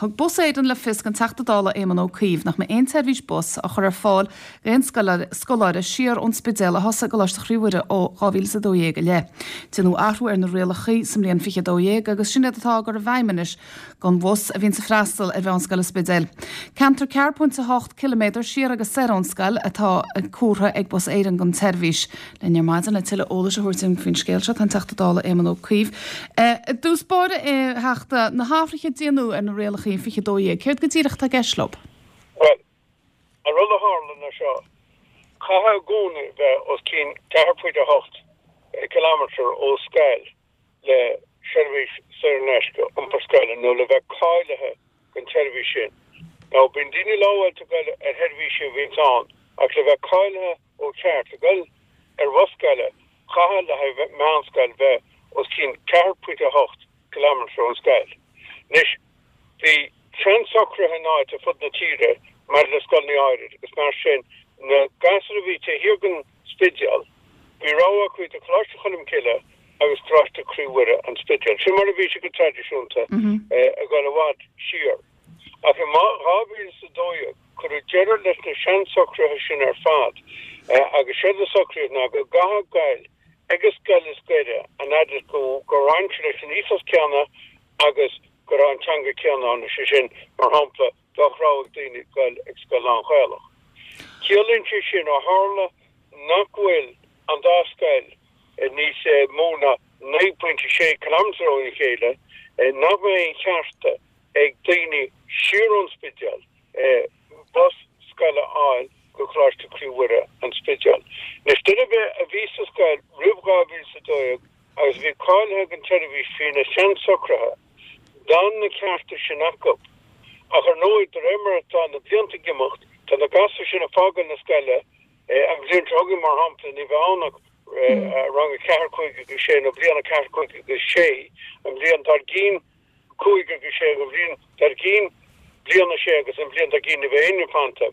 Thug Bus Éireann le fios don Teachta Dála Éamon Ó Cuív nach mbeidh aon tseirbhís bus á chur ar fáil d'aon scoláire siar ón Spidéal a thosaigh i gColáiste Chroí Mhuire ó 2012 i leith. Déanadh athrú ar na rialacha sa mbliain 2012 agus sin iad atá á gcur i bhfeidhm anois don bhus a bhíonns ag freastal ar Mheánscoil an Spidéil. Ceantar 4.8 ciliméadar siar agus soir ón scoil atá comhartha ag Bus Éireann don tseirbhís. Linn ar maidin le tuilleadh eolais a thabhairt dúinn faoin scéal seo tá an Teachta Dála Éamon Ó Cuív. I dtús báire, a Theachta, na hathruithe a déanadh ar na rialacha in 2012, céard go díreach atá i gceist leo? Bhuel, an rud a tharla ná seo, caithfidh i gcónaí bheith os cionn 4.8 kilometre ó scoil le seirbhís saor in aisce iompar scoile nó le bheith cáilithe don tseirbhís sin. Now, bíonn daoine lámháilte ag goil ar sheirbhísí a bhíonns ann ach le bheith cáilithe ó cheart le goil ar bhus scoile, caithfidh le haghaidh meánscoil bheith os cionn 4.8 kilometre ón scoil. Anois, bhí seansocruithe in áit ar fud na tíre maidir le scoileanna áirid agus mar sin, na gasúir a bhí taobh thiar den Spidéal, bhí rogha acu idir Coláiste Cholm Cille agus Coláiste Croí Mhuire, An Spidéal. Sin mar a bhí sé go traidisiúnta ag dul i bhfad siar. Ach i 2012 cuireadh deireadh leis na seansocruithe sin ar fad agus séard a socraíodh ná go gcaithfeá goil ag an scoil is gaire an fhad is gur bhain sé leis an ethos céanna agus go raibh an teanga céanna ann, is é sin, mar shampla, bheadh rogha ag daoine goil ag scoil lán-Ghaelach. Ciallaíonn sé sin, ó tharla nach bhfuil an dá scoil níos mó ná 9.6 kilometre óna chéile, nach mbeidh aon chearta ag daoine siar ón Spidéal bus scoile a fháil go Coláiste Croí Mhuire, An Spidéal. Anois, duine ar bith a bhí sa scoil roimh 2012 agus a bhí cáilithe don tseirbhís faoi na seansocruithe, d'fhan na cearta sin acu. Ach ar ndóigh, de réir mar atá na blianta ag imeacht, tá na gasúir sin ag fágáil na scoile, an bhliain seo chugainn, mar shampla, ní bheidh ann ach rang 4, 5 agus 6, nó bliain 4, 5 agus 6, an bhliain dár gcionn 5 agus 6, an bhliain dár gcionn bliain 6 agus an bhliain dár gcionn ní bheidh éinne fanta.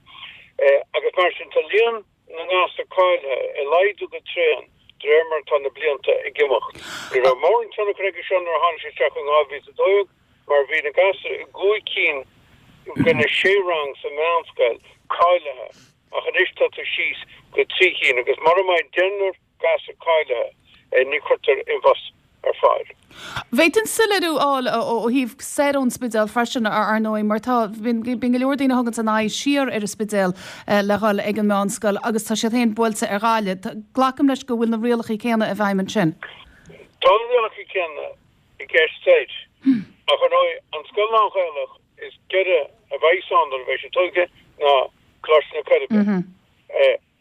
Agus mar sin, tá líon na ngasúr cáilithe ag laghdú go tréan de réir mar atá na blianta ag imeacht. Ní raibh mórán tionchar aige seo nuair a tháinig sé isteach in 2012 mar bhí na gasúir i gcúig cinn de na sé rang sa mheánscoil cáilithe ach anois tá tú síos go trí cinn agus mura mbeidh deichniúr gasúr cáilithe, ní chuirtear aon bhus ar fáil. Bhféadfainn soiléiriú a fháil ó thaobh soir ón Spidéal freisin, ar ndóigh, mar tá, bíonn go leor daoine a thuganns a n-aghaidh siar ar an Spidéal le dhul ag an meánscoil agus tá siad féin buailte ar Ghaillimh. Glacaim leis go bhfuil na rialacha céanna i bhfeidhm ansin. Tá na rialacha céanna i gceist soir, ach ar ndóigh, an scoil lán-Ghaelach is giorra a bheidh ann nuair a bheidh sé tógtha ná Coláiste na Coiribe.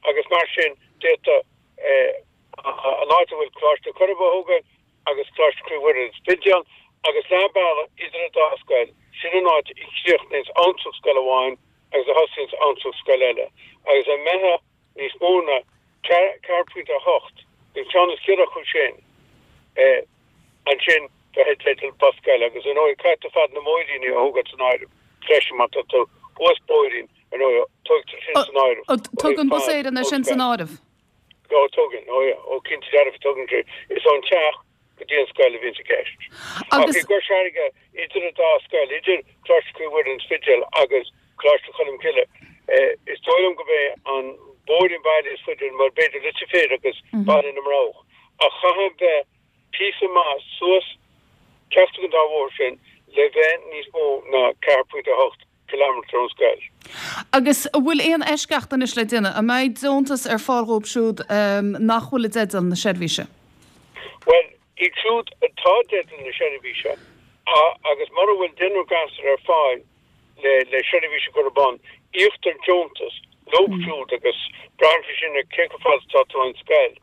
agus mar sin d'fhéadfadh an áit a bhfuil Coláiste na Coiribe á thógáil agus Coláiste Chroí Mhuire an Spidéal agus leath bealaigh idir an dá scoil, sin an áit a chríochnaíonns abhantrach scoil amháin agus a thosaíonns abhantrach scoil eile agus dá mbeifeá níos mó ná 4.8 den cheann is giorra acu sin. Ansin bheifeá i dteideal bus scoile agus ar ndóigh caithfidh tú fad na mbóithríní a thógáil san áireamh freisin má tá tú thuas bóithrín ar ndóigh tógtar sin san áireamh ó thaobh Tugann Bus fad Éireann é sin san áireamh? Ó tugann, ó yeah, ó cinnte dearfa tugann sé. Is ón teach go dtí an scoil a bhíonns i gceist. Ach i gCois Fharraige idir an dá scoil, idir Coláiste Chroí Mhuire an Spidéal agus Coláiste Cholm Cille, is dóigh liom gurb é an bóithrín baile is faide, mar b'fhéidir Leitir Fir agus Baile na mBroghach. Ach chaithfeá bheith píosa maith suas ceachtar den dá bhóthar sin le bheith níos mó ná 4.8 kilometre ón scoil. Agus an bhfuil aon eisceacht anois le déanamh? An mbeidh deontas ar fáil dhóibh siúd nach bhfuil i dteideal na seirbhíse? Bhuel, iad siúd atá i dteideal na seirbhíse, agus mura bhfuil deichniúr gasúr ar fáil le seirbhís a chur ar bun, íoctar deontas leo siúd agus braitheann sé sin ar cé chomh fada atá tú ón scoil.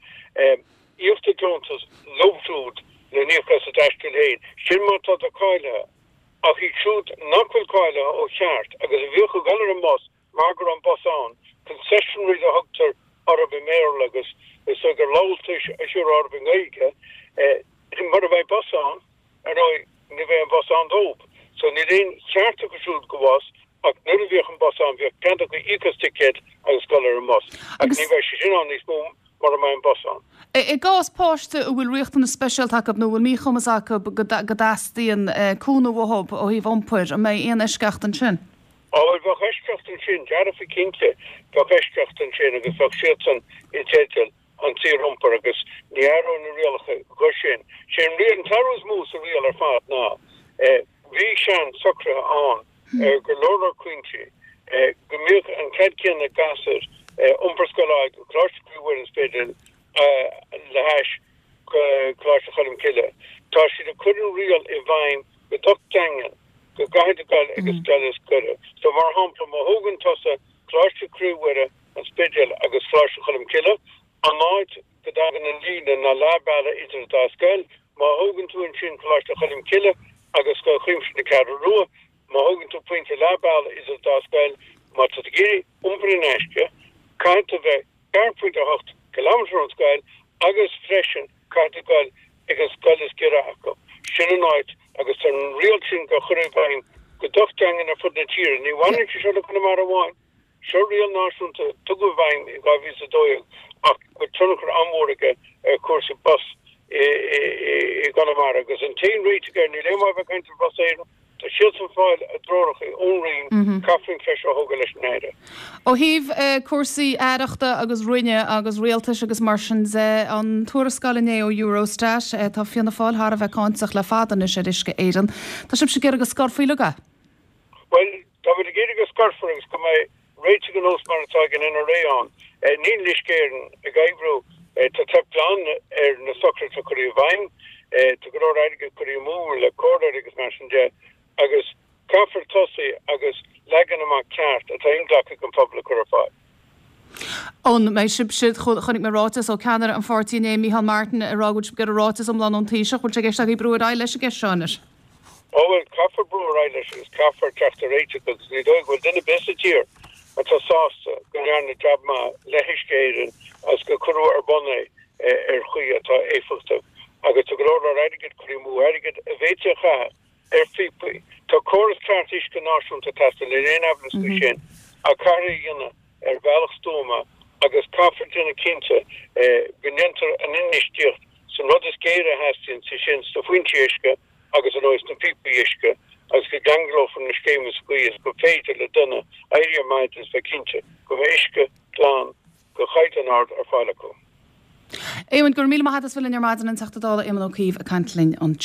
Íoctar deontas leo siúd le n-íoc as a dtaisteal féin, sin má tá tú cáilithe. Ach iad siúd nach bhfuil cáilithe ó cheart agus a bhíodh ag dul ar an mbus mar go raibh an bus ann, concessionaries a thugtar orthu i mBéarla agus is dóigh gur lamháltais a thiúrfá orthu i nGaeilge, mura mbeidh bus ann, ar ndóigh, ní bheidh an bus ann dóibh. So níl aon cheart acu siúd go bhus ach nuair a bhíodh an bus ann bhíodh cead acu íoc as ticéad agus dul ar an mbus. Ach ní bheidh sé sin ann níos mó mura mbeidh an bus ann. I gcás páiste a bhfuil riachtanas speisialta acu nó a bhfuil míchumas acu go dteastaíonn cúnamh uathu ó thaobh iompair, an mbeidh aon eisceacht ansin? Á bhuel, bheadh eisceacht ansin, dearfa cinnte, bheadh eisceacht ansin agus bheadh siadsan i dteideal an tsaoriompair agus ní athróidh na rialacha dho sin. Sé an riail, an t-athrú is mó sa riail ar fad ná bhí sean socruithe ann ar go leor leor cúinsí go mbíodh an cead céanna ag gasúir iompar scoile a fháil go Coláiste Chroí Mhuire an Spidéil le hais Coláiste Cholm Cille. Tá siad ag cur an riail i bhfeidhm go docht daingean go gcaithfidh tú dul ag an scoil is gaire. So mar shampla má thógann tusa Coláiste Chroí Mhuire an Spidéil agus Coláiste Cholm Cille, an áit go dtagann an líne ná leath bealaigh idir an dá scoil, má thógann tú ansin Coláiste Cholm Cille agus Scoil Chuimsitheach na Ceathrún Rua, má thógann tú pointe leath bealaigh idir an dá scoil, má tá tú ag iarraidh iompar in aisce, caithfidh tú bheith 4.8 kilometre ón scoil agus freisin caithfidh tú dul ag an scoil is giorra acu. Sin an áit agus tá an riail sin á chur i bhfeidhm go docht daingean ar fud na tíre. Ní bhaineann sé seo le Conamara amháin. Seo riail náisiúnta a tugadh i bhfeidhm in 2012 ach go bhfuil tionchar an-mhór aige ar chúrsaí bus i gConamara agus an t-aon réiteach air, níl aon mhaith a bheith ag caint ar Bhus Éireann, tá siadsan ag fáil a dtreoracha ón Roinn, caithfear an cheist seo a thógáil leis an Aire. Ó thaobh cúrsaí aireachta agus roinne agus rialtais agus mar sin de, an tuarascáil inné ó Eurostat, tá Fianna Fáil thar a bheith cáinteach le fada anois ar Uisce Éireann. Tá sibhse ag iarraidh go scorfaí uilig é? Bhuel, táimid ag iarraidh go scorfar agus go mbeidh réiteach ar nós mar atá ag an NRA ann. Níl Uisce Éireann ag oibriú. Tá teip glan ar na socruithe atá curtha i bhfeidhm. Tá go leor airgid curtha amú le comhairleoirí agus mar sin de agus caithfear tosaí agus leagan amach ceart atá inghlactha ag an phobal a chur ar fáil. An mbeidh sibhse, chonaic mé ráiteas ó ceannaire an pháirtí inné, Micheál Martin, ag rá go bhfuil sibh ag iarraidh ráiteas iomlán ón Taoiseach. Bhfuil sé i gceist agaibh brú ar aghaidh leis an gceist seo anois? Ó bhuel, caithfear brú ar aghaidh leis agus caithfear teacht ar réiteach agus ní dóigh go bhfuil duine ar bith sa tír atá sásta go ndearnadh jab maith le hUisce Éireann agus gur cuireadh ar bun é ar chaoi atá éifeachtach agus tá go leor leor airgid curtha amú, airgead a bhféadfaí a chaitheamh ar phíopaí. Tá córas ceart uisce náisiúnta ag teastáil, níl aon aimhleas faoi sin, ach caithfear é a dhéanamh ar bhealach stuama agus caithfear déanamh cinnte go ndéantar an infheistíocht san rud is géire a theastaíonn, sé sin sna foinsí uisce agus ar ndóigh sna píopaí uisce, agus go gceanglófar na scéimeanna sa chaoi is gur féidir le duine éirí ar maidin is bheith cinnte go mbeidh uisce glan de chaighdeán ard ar fáil acu. Éamon, go raibh míle maith agat as bheith linn ar maidin, an Teachta Dála Éamon Ó Cuív ag caint linn ansin.